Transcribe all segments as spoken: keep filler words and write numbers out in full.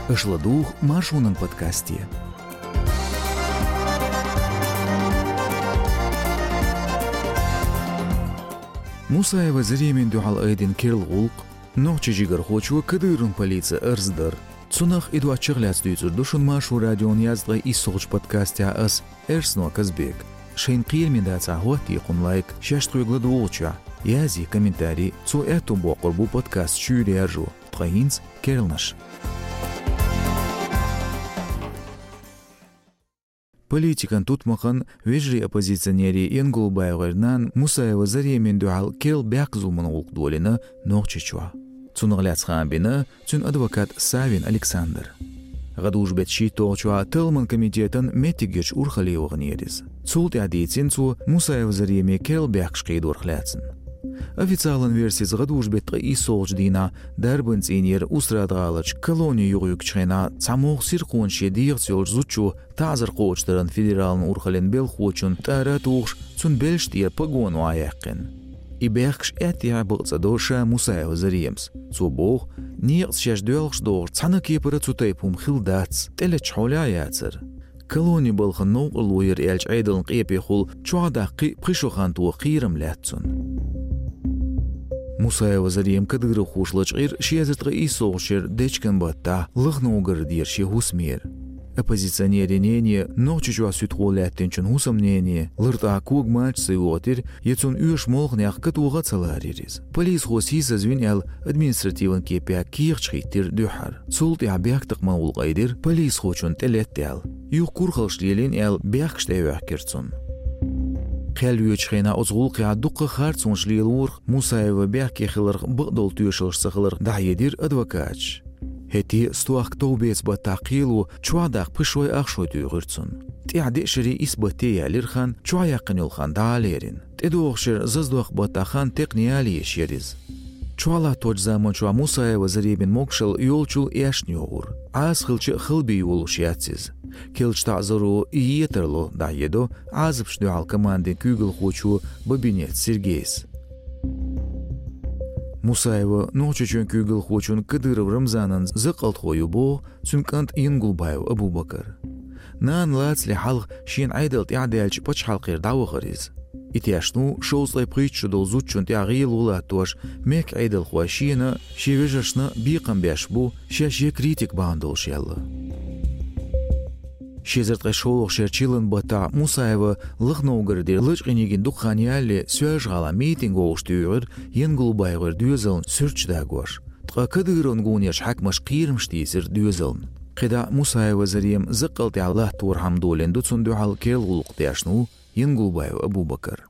Аша ладугӀу Маршонан подкасте. Мусаева Заремина дуьхьал айдина керла гӀуллакх, нохчийн жигархочо Кадыровн полице арз дар. Цунах а, и доцчух а лаьцна дуьйцур ду шуна Маршо радион яздаькъе иссалгӀачу подкастехь ас, Эрсно Казбек. Шайна кхераме дацахь, хӀоттае кхунна лайк, шаьш тхоьга ладугӀучохь язъе комментарий, цо аьтту боккхур бу подкаст шуьйра яржо. Ткъа хӀинца керланаш. Политикан тутмакхан, вежарий оппозиционерий Янгулбаевгара нанна Мусаева Заремина дуьхьал керла бехк-зуламан гӀуллакх долийна Нохчийчохь. Цунах лаьцна хаам бина цуьнан адвокат Савин Александра. ГӀадужу-беттан шийтталгӀачохь талламан комитетан меттигерчу урхалле ваханера иза. Цул тӀаьхьа дийцина цо Мусаева Заремина керла бехкаш кхийдорах лаьцна. Официалан версица, гӀадужу-беттан ткъе иссалгӀачу дийнахь дарбан цӀийнера Устрада-гӀаларчу колони юхайуьгучу хенахь цхьамогӀа сирхонаш шен дегӀаца йолчу зудчо таӀзар кхочушдаран федералан урхаллин белхахочун тӀара а тухуш, цунна белшаш тӀера погоны охьаяьккхина. И бехкаш аьттехьа бакъ ца до ша Мусаева Заремас. Цо боху, некъаца шаьш доьлхуш догӀуш цхьана а кепара цу тайпа хӀума хилла дац, тӀелеттачу хьолехь а яцара. Колони балхана новкъарло яра аьллачу Ӏедална къепехула чохь даккха кхин а пхи шо хан тоха кхерам лаьтта цунна. Мусаева Зарема кадыровхоша лачкъийра ши эзар ткъе иссалгӀачу шеран дечкен баттахь Лахновгородера шен хӀусамера. Оппозиционерийн нене, Нохчийчохь суьдхо лаьттинчун хӀусамнене, лартӀехь кога мача ца йохийтира, я цунна оьшу молханех катоха а ца ларийра иза. Полисхо сийсазвина аьлла, административан кепехь кехаташ хӀиттийра дуьххьара. Цул тӀаьхьа бехктакхаман гӀуллакх айдира полисхочунна тӀелетта аьлла. Юха курхаллаш лелийна аьлла, бехкаш тӀеоьхкира цунна. Кхел йоьдучу хенахь оцу гӀуллакхехь дуккха а харцонаш лелорах, Мусаева бехке хиларх бакъдолу тоьшаллаш ца хиларх дӀахьедира адвокаташа. ХӀетте а стохка товбеца баттахь кхело чохь даккха пхи шой ах шой туьйхира цунна. ТӀаьхьа деа шаре исс батте яьлира хан, чохь яьккхина йолу хан дӀа а лерина. ТӀедогӀуш яра зазадоккху баттахь хан текхна яла езаш яра иза. Чохь латточу заманчохь Мусаева Заремина могушалла йолчул эшна йогӀура. Ӏаса хилча а хала бен йолуш яц иза. Керлачу таӀзаро и е тарло, дӀахьедо Ӏазапашна дуьхьал командин куьйгалхочо Бабинец Сергейс. Мусаева Нохчийчоьнан куьйгалхочун Кадыров Рамзанан закъалтхо ю боху цуьнан кӀант Янгулбаев Абубакар. Нана лацале хьалха шена Ӏедал тӀаьхьадаьлча пачхьалкхера дӀавахара иза. И тешна ву шовзткъе пхийтта шо долу зудчунна тӀехь гӀело латтош, мехкан Ӏедалхой шена а, шен вежаршна а бекхам беш бу, шаьш я критик бахьана долуш аьлла. Ши эзар ткъе шолгӀачу шеран чиллан баттахь Мусаева Лахновгородера лачкъийна йигина дукха хан ялале Соьлжа-ГӀалахь митинг вовшахтуьйхира Янгулбаевгара доьзална суьрташ дагош. Ткъа Кадыровн гонерчу хьаькамаша кхерамаш тийсира доьзална. КхидӀа Мусаева Зарема закъалтехь латторхьама долийна ду цунна дуьхьал керла гӀуллакх, тешна ву Янгулбаев Абубакар.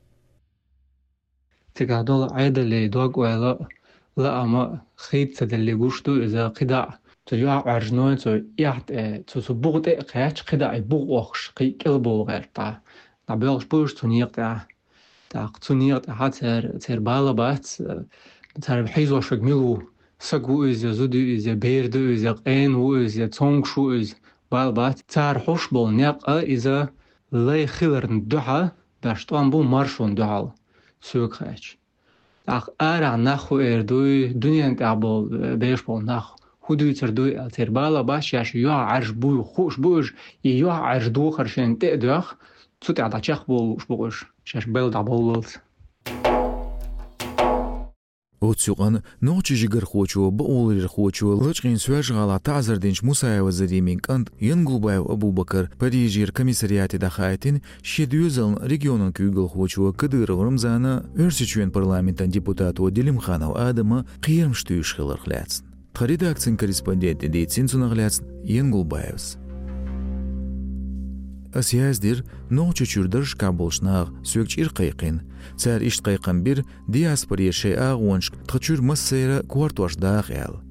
Цигахь долу Ӏедале дог-ойла а, лаам а хийца ца делле гуш ду иза. КхидӀа цу юьхьӀаьржано, цу эхь тӀе, цу, цу буха тӀе а кхаьчча, кхидӀа и буха охкуш кхин а кӀелбовла гӀерта. ДӀабоьлхуш бу уьш цу некъа тӀехь. ТӀаккха цу некъа тӀехь церан, церан бала бац, цара хьийзош верг мила ву, саг ву иза, зуда ю иза, бер ду иза, къена ву иза, цомгуш ву иза, бала бац. Цара хьош болу некъ а иза лай хиларна дуьхьа беш тӀом бу маршонна дуьхьал, соьга хаьттича. ТӀаккха арахь нах хӀун эр дуй, дуьненна тӀехь болу, беш болу нах хӀун дуьйцур дуй аьлла, церан бала бац, шаьш юьхьӀаьржа буй хууш бу уьш, и юьхьӀаьржа духар шайна тӀе а доьхна, цу тӀехь дӀачекхбовла лууш бу уьш, шаьш белла дӀабовллалц. Оццу юкъанна нохчийн жигархочо, бакъоларъярхочо, лачкъийна Соьлжа-ГӀалахь таӀзар динчу Мусаева Заремин кӀант Янгулбаев Абубакар Парижера комиссариате дӀахаийтина шен доьзална регионан куьйгалхочо Кадыров Рамзана, Оьрсийчоьнан парламентан депутато Делимханов Адама кхерамаш туьйсуш хиларх лаьцна. Тхан редакцин корреспонденте дийцина цунах лаьцна Янгулбаевс. Ас яздира Нохчийчуьра даржашкахь болчу наха, соьга чӀир кхайкхина. Цара иштта кхайкхам бира диаспоре шайн агӀонашка тхан чуьра массеран а кортош даха аьлла.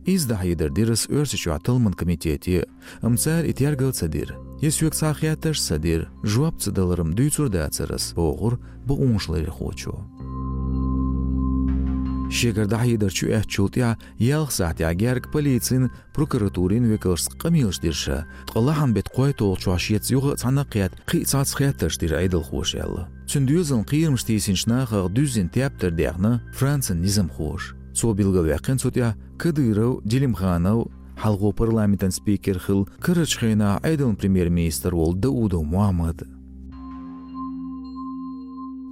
Иза дӀахьедар дира ас Оьрсийчохь талламан комитете, амма цара и тергал ца дира. Я соьга цхьа а хеттарш ца дира, жоп ца далар-м дуьйцур дацара ас, бохура бакъонашларъярхочо. Шегара дӀахьедар чуэцначул тӀаьхьа ялх сахьтехь герга полицин, прокуратурин векалшца къамелаш дира ша, ткъа лахьан-беттан кхойтталгӀачохь шеца юха а цхьаьна а кхетта, кхин а цхьацца хеттарш дира Ӏедалхоша аьлла. Цуьнан доьзална кхерамаш тийсинчу нахах дуьззина тептар дехна Францин низамхоша. Цо билгалваьккхина цу тӀехь Кадыров, Делимханов, Хьалхо парламентан спикер хилла карарчу хенахь Ӏедалан премьер-министр волу Даудов Мухьаммад.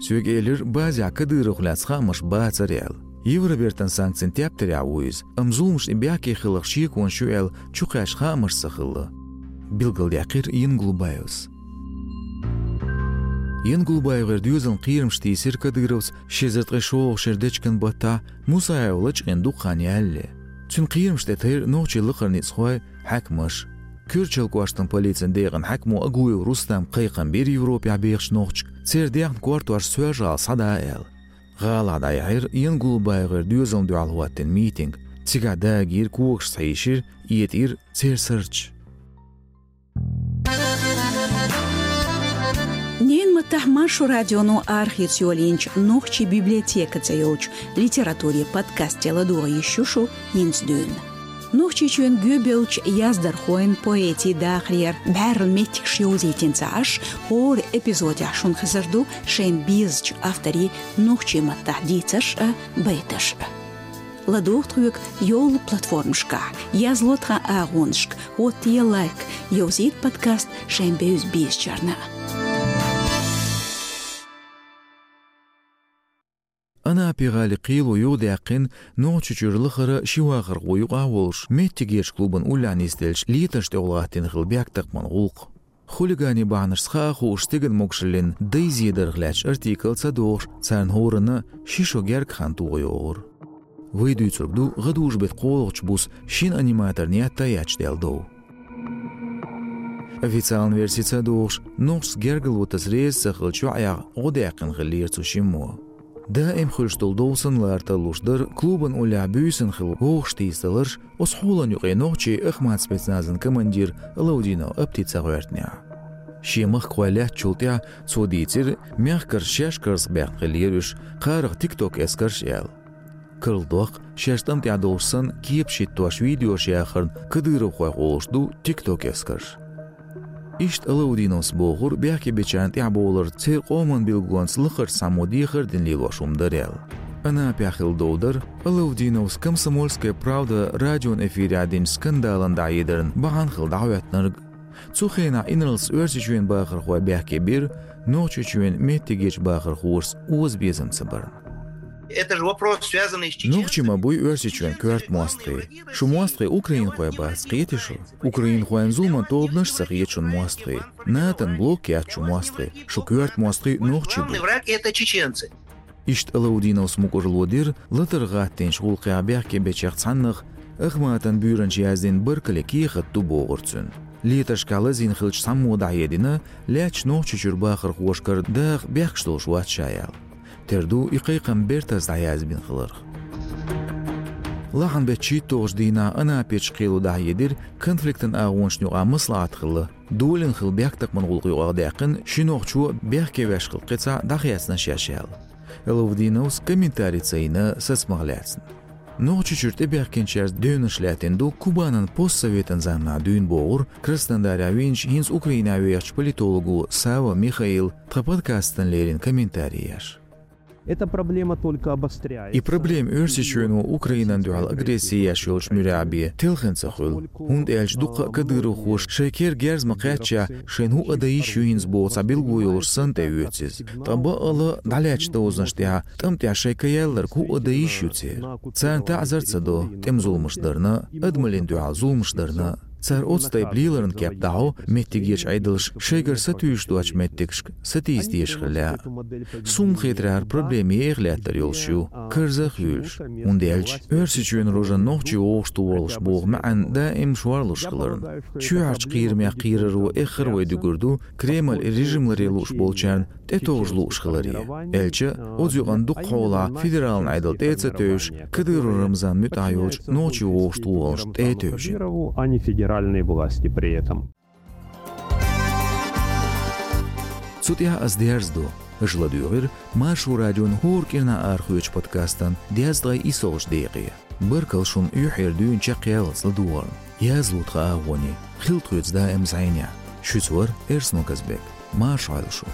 Соьга элира, базехь Кадыровх лаьцна хаамаш бацара аьлла. Евробертан санкцийн тептарехь ву иза, амма зуламашна и бехке хиларх шеконаш ю аьлла чукхаьчна хаамаш ца хилла, билгалдаьккхира Янгулбаевс. ЯнгулбаевгӀеран доьзална кхерамаш тийсира Кадыровс ши эзар ткъе шолгӀачу шеран дечкен баттахь Мусаев лачкъийна дукха хан ялале. Цуьнан кхерамаш тӀе тайра нохчийн лакхара ницкъахой, хьаькамаш. Керчалан кӀоштан полицин декъан хьаькамо Агуев Рустама кхайкхам бира Европехь бехачу нохчашка, церан даьхни кортош Соьлжа-ГӀала схьада аьлла. ГӀалахь дӀаяьхьира ЯнгулбаевгӀеран доьзална дуьхьал хӀоттийна митинг. Цигахь дагийра, когаш схьайишира, этӀийра церан сурташ. Ненан маттахь Маршо радионо арахеца йолийначу «Нохчийн библиотека» цӀе йолчу литературин подкасте ладогӀа йиш ю шу хӀинца дуьйна. Нохчийчоьнан гӀоьбеллачу яздархойн, поэтийн дахарера бӀаьрла меттигаш йовзийтина ца Ӏаш, хӀора эпизодехь шуна хезар ду шайна безачу авторийн нохчийн маттахь дийцарш а, байташ а. ЛадогӀа тхоьга йолу платформашкахь, язло тхан агӀонашка, хӀоттае лайк, йовзийта подкаст шайн бевза безачарна. Анапи-гӀалин кхело юхадаьккхина Нохчийчуьра лахара ши вахархо юкъахь а волуш, меттигерчу клубан уллехь нисделлачу летаршна тӀехула гӀаттийна хилла бехктакхаман гӀуллакх. Хулиганийн бахьанашца хаа а хууш, стеган могушаллин дайза едарх лаьтташ артикл ца дохуш, царна хӀоранна ши шо гергга хан тоха йогӀура. Вай дуьйцург ду гӀадужу-беттан кхоалгӀачу буса шина аниматорна етта а етташ даьлла дов. Официалан верси ца дохуш, нохчашца гергарло таса реза ца хиллачу йоӀех гӀо даьккхина хиллера цу шиммо. Даим хуьлуш долу дов санна лара тарлуш дара клубан уллехь буьйсанна хилла вовшахтийсадаларш, оцу хьолан юкъе нохчийн Ахмат спецназан командир Алаудинов Апти ца гӀоьртинехь. Шен махкахой лаьттачул тӀаьхьа цо дийцира, мехкарша шаьш карзахбаьхна хиллера уьш, кхарах тикток-эскарш аьлла. Карладоккху, шаьш тӀам тӀехь долуш санна, кепаш хӀиттош видеош яхарна кадыровхойх олуш ду тикток-эскарш. Иштта Алаудиновс бохура, бехкебечарна тӀаьхьабовлар церан къоман билгалонца лакхарчу цхьаммо дехар а дина лелош хӀума дара аьлла. Анапехь хилла дов дара Алаудиновс «Комсомольская правда» радион эфирехь динчу скандалан дӀахьедарна бахьана хилла дӀахӀоьттинарг. Цу хенахь инарлас Оьрсийчоьнан бахархой бехке бира, Нохчийчоьнан меттигерчу бахархошца озабезам ца барна. Это же вопрос, связанный с чеченцами. Нохчий ма буй Оьрсийчоьнан коьрта мостагӀий. Шу мостагӀий украинхой бац, кхетий шу? Украинхойн зуламан тобанаш а ца хета шуна мостагӀий. НАТОн блок яц шу мостагӀий. Шу коьрта мостагӀий нохчий бу. Главный враг — это чеченцы. Иштта Алаудиновс мукӀарло дира латарх гӀаттийначу гӀуллакхехь бехкебечех цхьаннах Ахматан буьйранча яздина баркаллин кехат ду бохург цуьнан. Летаршкахь лазийна хиллачу цхьаммо дӀахьедина, лаьттачу Нохчийчуьра бахархошкара даха бехкаш долуш вац ша аьлла. Тера ду и кхайкхам бертаза дӀаязбина хиларх. Лахьан беттан шийтталгӀачу дийнахь Анапечу кхело дӀахьедира конфликтан агӀонашна юкъахь маслаӀат хилла, долийна хилла бехктакхаман гӀуллакх юкъахь даьккхина ши нохчо бехке веш хилла кхин цхьаъ дӀахецна шаьш аьлла. Алаудиновс комментари ца йина сацамах лаьцна. Нохчийчуьра тӀебаьхкинчаьрца девнаш лаьттина ду Кубанан постсоветан заманахь дуьйна бохура Краснодарехь вийначу, хӀинца Украинехь вехачу политолого Сава Михаила тхан подкастана леррина комментари еш. Эта проблема только обостряется. И проблема Оьрсийчоьно Украинан дуьхьал агресси еш йолчу муьрехь бен телхина ца хуьлу. ХӀунда аьлча дуккха а кадыровхоша шайн кер герз ма кхаьччехь, шайна хӀуъа дан йиш ю хӀинца боху цхьа билгало йолуш санна тӀеоьцу иза. Ткъа баккъала а дӀалаьттачу дозанаш тӀехь, тӀам тӀехь шайн каялларг хӀуъа дан йиш ю церан. Царна таӀзар ца до тӀеман зуламаш дарна, адамаллин дуьхьал зуламаш дарна. Цара оцу тайпа леларан кеп дӀахьо, меттигерчу Ӏедалша шайгара сатуьйсуш доцчу меттигашка сатийса дезаш хилла. Суна хетарехь, хӀара проблема еха лаьттар йолуш ю, карзах а хуьйлуш. ХӀунда аьлча Оьрсийчоьнан рожана нохчий вовшахтохалуш боху маьӀна даим шорлуш хиларна. Чоьхьарчу кхерамех кхераро эххар а вай дуьгур ду, Кремль и режим ларъян лууш болчарна тӀетовжа лууш хиларе. Аьлча, оцу юкъана дукха хьолахь федералан Ӏедал тӀе а ца тевжаш, Кадыров Рамзан муьтӀахь йолчу нохчий вовшахтохалшна тӀе а тевжина. А не федеральные власти при этом. Цу тӀехь ас дерзадо. Аша ладоьгӀира Маршо радион хӀора кӀирнахь арахоьцучу подкастан дезткъе иссалгӀачу декъе. Баркалла шуна юьхьера дуьйна чекхъяллалц ладогӀарна. Язло тхан агӀоне, хила тхоьца даим зӀенехь. Шуьца вара Эрсно Казбек. Марша Ӏойла шу.